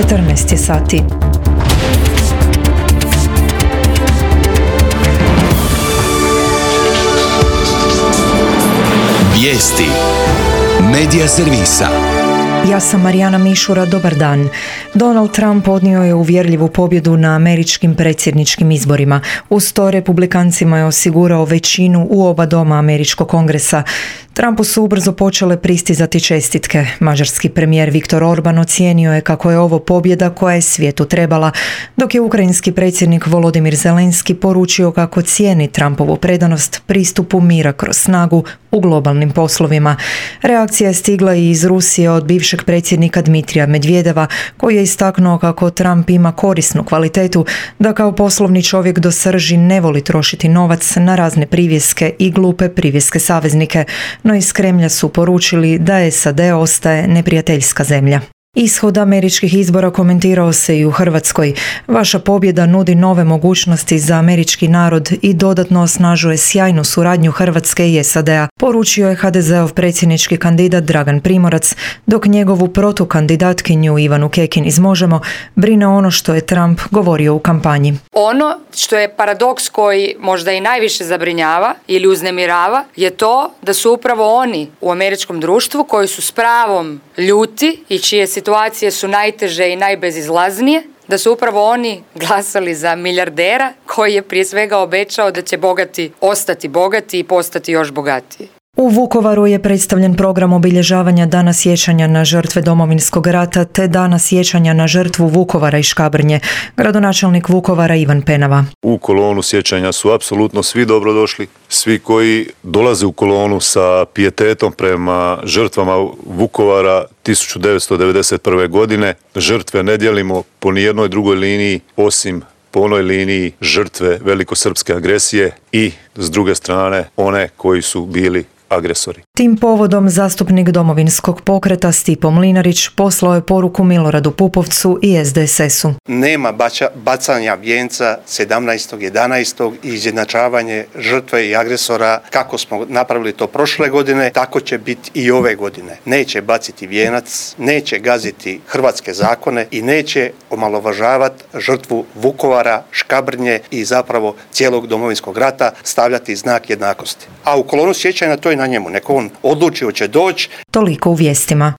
14 je sati. Vijesti Medija servisa. Ja sam Marijana Mišura, dobar dan. Donald Trump odnio je uvjerljivu pobjedu na američkim predsjedničkim izborima. Uz to republikancima je osigurao većinu u oba doma američkog kongresa. Trumpu su ubrzo počele pristizati čestitke. Mađarski premijer Viktor Orban ocijenio je kako je ovo pobjeda koja je svijetu trebala, dok je ukrajinski predsjednik Volodimir Zelenski poručio kako cijeni Trumpovu predanost pristupu mira kroz snagu u globalnim poslovima. Reakcija je stigla i iz Rusije od bivšeg predsjednika Dmitrija Medvedeva, koji je istaknuo kako Trump ima korisnu kvalitetu, da kao poslovni čovjek do srži ne voli trošiti novac na razne privjeske i glupe privjeske saveznike, no iz Kremlja su poručili da SAD ostaje neprijateljska zemlja. Ishod američkih izbora komentirao se i u Hrvatskoj. Vaša pobjeda nudi nove mogućnosti za američki narod i dodatno osnažuje sjajnu suradnju Hrvatske i SAD-a, poručio je HDZ-ov predsjednički kandidat Dragan Primorac, dok njegovu protukandidatkinju Ivanu Kekin iz Možemo brine ono što je Trump govorio u kampanji. Ono što je paradoks koji možda i najviše zabrinjava ili uznemirava je to da su upravo oni u američkom društvu koji su s pravom ljuti i čije situacije su najteže i najbezizlaznije, da su upravo oni glasali za milijardera koji je prije svega obećao da će bogati ostati bogati i postati još bogatiji. U Vukovaru je predstavljen program obilježavanja Dana sjećanja na žrtve Domovinskog rata te Dana sjećanja na žrtvu Vukovara i Škabrnje. Gradonačelnik Vukovara Ivan Penava. U kolonu sjećanja su apsolutno svi dobrodošli. Svi koji dolaze u kolonu sa pijetetom prema žrtvama Vukovara 1991. godine. Žrtve ne dijelimo po nijednoj drugoj liniji osim po onoj liniji žrtve velikosrpske agresije i s druge strane one koji su bili agresori. Tim povodom zastupnik Domovinskog pokreta Stipo Mlinarić poslao je poruku Miloradu Pupovcu i SDSS-u. Nema bacanja vijenca 17.11. i izjednačavanje žrtve i agresora kako smo napravili to prošle godine, tako će biti i ove godine. Neće baciti vijenac, neće gaziti hrvatske zakone i neće omalovažavati žrtvu Vukovara, Škabrnje i zapravo cijelog Domovinskog rata, stavljati znak jednakosti. A u kolonu sjećanja to je na njemu. Neko on odluči hoće doći. Toliko u vijestima.